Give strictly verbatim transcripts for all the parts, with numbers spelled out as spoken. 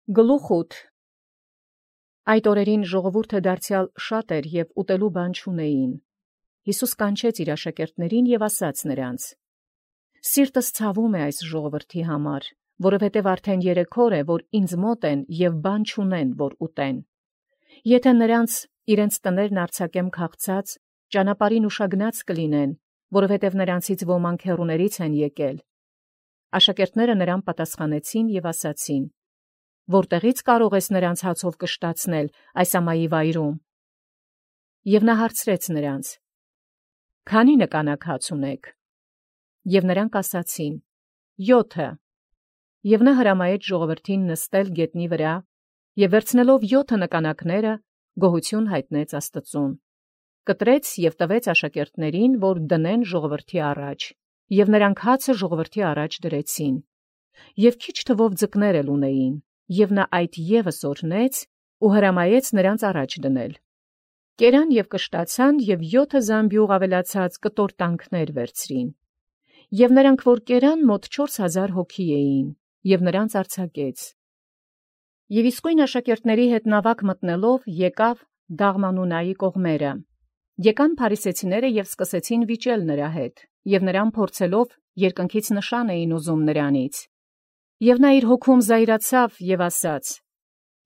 Գլուխ Այդ օրերին ժողովուրդը դարձեալ շատ էր և ուտելու բան չունեին։ Յիսուս կանչեց իր աշակերտներուն և ասաց նոցա. «Սիրտս ցավում է այս ժողովրդի համար, որովհետև արդեն երեք օր է, որ ինձ մոտ են և բան չունեն, որ ուտեն։ Եթէ նրանց իրենց տներն արձակեմ քաղցած, ճանապարհին ուշագնաց կլինեն, որովհետև նրանցից ոմանք հեռուներից են եկել»։ Աշակերտները նրան պատասխանեցին և ասացին. «Որտեղի՞ց կարող ես նրանց հացով կշտացնել այս ամայի վայրում»։ Եւ նա հարցրեց նրանց. «Քանի՞ նկանակ հաց ունեք»։ Եւ նրանք ասացին. «Յոթը»։ Եւ նա հրամայեց ժողովրդին նստել գետնի վրա, եւ վերցնելով յոթը նկանակները, գոհություն յայտնեց Աստուծոյ, կտրեց և տվեց աշակերտներին, որ դնեն ժողովրդի առաջ, և նրանք հացը ժողովրդի առաջ դրեցին։ Եւ քիչ թվով ձկներ էլ ունեին, եւ նա այդ ևս օրհնեց ու հրամայեց նրանց առաջ դնել։ Կերան և կշտացան և յոթը զամբիւղ ավելացած կտորտանքներ վերցրին։ Եւ նրանք որ կերան մոտ չորս հազար հոգի էին, և նրանց արձակեց։ Եւ իսկույն աշակերտացն հետ նաւակ մտնելով եկավ Դաղմանունայի կողմերը։ Եկան փարիսեցիները և սկսեցին վիճել նրա հետ, և նրան փորձելով երկնքից նշան էին ուզում նրանից։ Եւ նա իր հոգում զայրացավ և ասաց.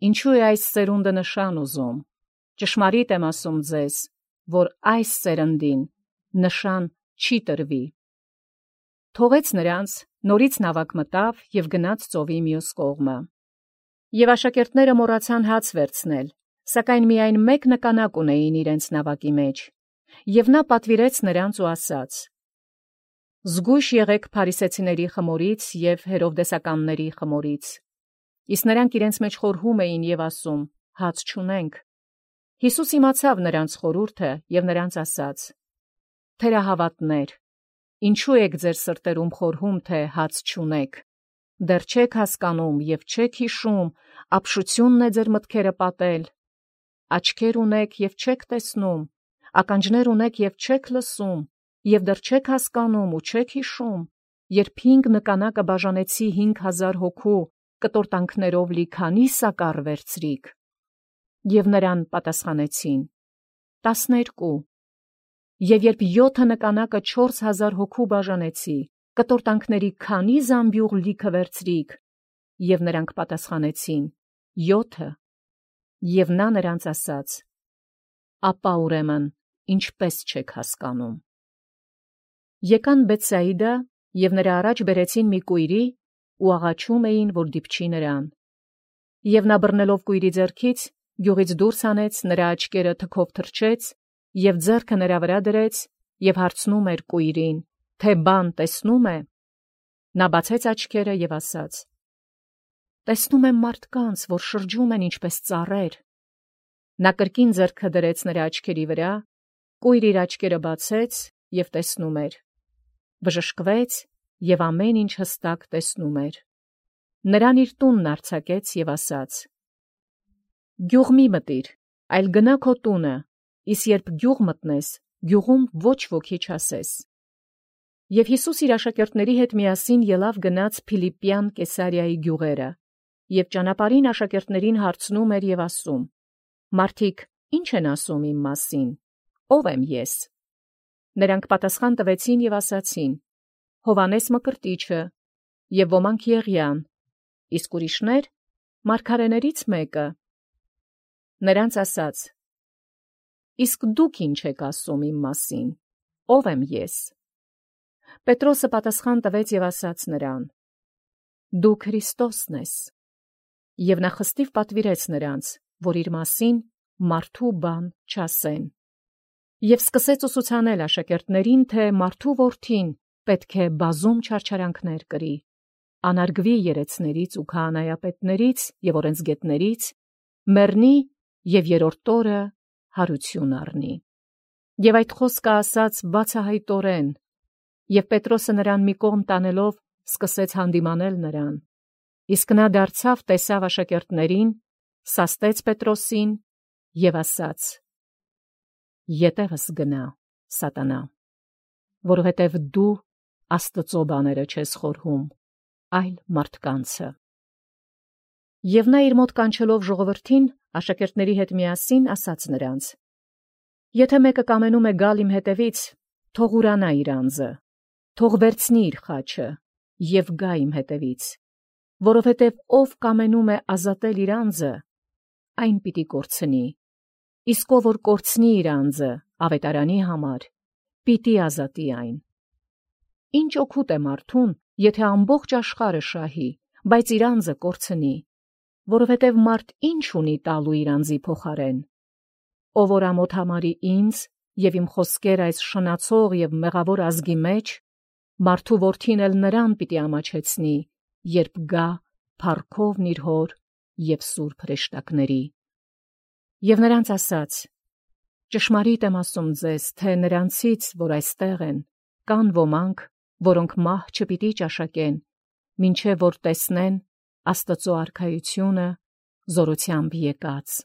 «Ինչո՞ւ է այս սերունդը նշան ուզում. ճշմարիտ եմ ասում ձեզ, որ այս սերնդին նշան չի տրվի»։ Թողեց նրանց, նորից նաւակ մտավ և գնաց ծովի մյուս կողմը։ Եւ աշակերտները մոռացան հաց վերցնել, սակայն միայն մեկ նկանակ ունեին իրենց նաւակի մեջ։ Եւ նա պատուիրեց նրանց ու ասաց. «Զգոյշ եղէք փարիսեցիների խմորից և հերովդեսականների խմորից»։ Իսկ նրանք իրենց մեջ խորհում էին և ասում. «Հաց չունենք»։ Յիսուս իմացաւ նրանց խորհուրդը և նրանց ասաց. «Թերահաւատներ, ինչո՞ւ եք ձեր սրտերում խորհում, թէ հաց չունեք. դեռ չեք հասկանում և չեք յիշում, ապշութիւնն է ձեր մտքերը պատել։ Աչքեր ունեք և չեք տեսնում, ականջներ ունեք և չեք լսում, և դեռ չեք հասկանում ու չեք յիշում, երբ հինգ նկանակը բաժանեցի հինգ հազար հոգու, կտորտանքներով լի քանի՞ սակառ վերցրիք։ Եւ նրան պատասխանեցին. «Տասներկու»։ Եւ երբ յոթը նկանակը չորս հազար հոգու բաժանեցի, կտորտանքների քանի՞ զամբիւղ լիքը վերցրիք։ Եւ նրանք պատասխանեցին. «Յոթը»։ Եւ նա նրանց ասաց. «Ապա ուրեմն ինչպե՞ս չեք հասկանում»։ Եկան Բեթսայիդա և նրա առաջ բերեցին մի կույրի ու աղաչում էին, որ դիպչի նրան։ Եւ նա բռնելով կույրի ձեռքից, գիւղից դուրս հանեց, նրա աչքերը թքով թրջեց և ձեռքը նրա վրա դրեց և հարցնում էր կույրին, թէ բան տեսնո՞ւմ է։ Նա բացեց աչքերը և ասաց. «Տեսնում եմ մարդկանց, որ շրջում են ինչպես ծառեր»։ Նա կրկին ձեռքը դրեց նրա աչքերի վրա, կույրը իր աչքերը բացեց և տեսնում էր։ Բժշկվեց և ամեն ինչ հստակ տեսնում էր։ Նրան իր տունն արձակեց և ասաց. «Գիւղ մի՛ մտիր, այլ գնա քո տունը, իսկ երբ գիւղ մտնես, գիւղում ոչ ոքի չասես»։ Եւ Յիսուս իր աշակերտաւքն հետ միասին ելաւ գնաց Փիլիպպյան Կեսարիայի գիւղերը, և ճանապարհին աշակերտացն հարցնում էր և ասում. «Մարդիկ ի՞նչ են ասում իմ մասին. ո՞վ եմ ես»։ Նրանք պատասխան տվեցին և ասացին. «Հովհաննես Մկրտիչը, և ոմանք Եղիան, իսկ ուրիշներ՝ մարգարէներից մեկը»։ Նրանց ասաց. «Իսկ դուք ի՞նչ եք ասում իմ մասին. ո՞վ եմ ես»։ Պետրոսը պատասխան տվեց և ասաց նրան. «Դու Քրիստոսն ես»։ Եւ նա խստիւ պատուիրեց նրանց, որ իր մասին մարդու բան չասեն։ Եւ սկսեց ուսուցանել աշակերտացն, թէ մարդու որդին պետք է բազում չարչարանքներ կրի, անարգուի երեցներից ու քահանայապետներից և օրենսգետներից, մեռնի և երրորդ օրը յարութիւն առնի։ Եւ այդ խոսքը ասաց բացահայտորեն, և Պետրոսը նրան մի կողմ տանելով սկսեց յանդիմանել նրան։ Իսկ նա դարձավ, տեսավ աշակերտացն, սաստեց Պետրոսին և ասաց. «Ետևս գնա, Սատանա, որովհետև դու Աստուծոյ բաները չես խորհում, այլ մարդկանցը»։ Եւ նա իր մոտ կանչելով ժողովրդին աշակերտների հետ միասին ասաց նրանց. «Եթե մեկը կամենում է գալ իմ հետևից, թող ուրանա իր անձը, թող վերցնի իր խաչը եւ գա իմ հետևից, որովհետեւ ով կամենում է ազատել իր անձը, այն պիտի կորցնի, իսկ ով որ կորցնի իր անձը ավետարանի համար, պիտի ազատի այն։ Ինչ օգուտ է մարդուն, եթե ամբողջ աշխարհը շահի, բայց իր անձը կորցնի, որովհետև մարդ ինչ ունի տալու իր անձի փոխարեն։ Ով որ ամոթ համարի ինձ եւ իմ խոսքեր այս շնացող եւ մեղավոր ազգի մեջ, մարդու որդին էլ նրան պիտի ամաչեցնի, երբ գա փառքովն իր հոր եւ սուրբ հրեշտակների։ Եվ նրանց ասաց. ճշմարիտ եմ ասում ձեզ, թե նրանցից, որ այստեղ են, կան ոմանք, որոնք մահ չպիտի ճաշակեն, մինչև որ տեսնեն Աստծո արքայությունը զորությամբ եկած։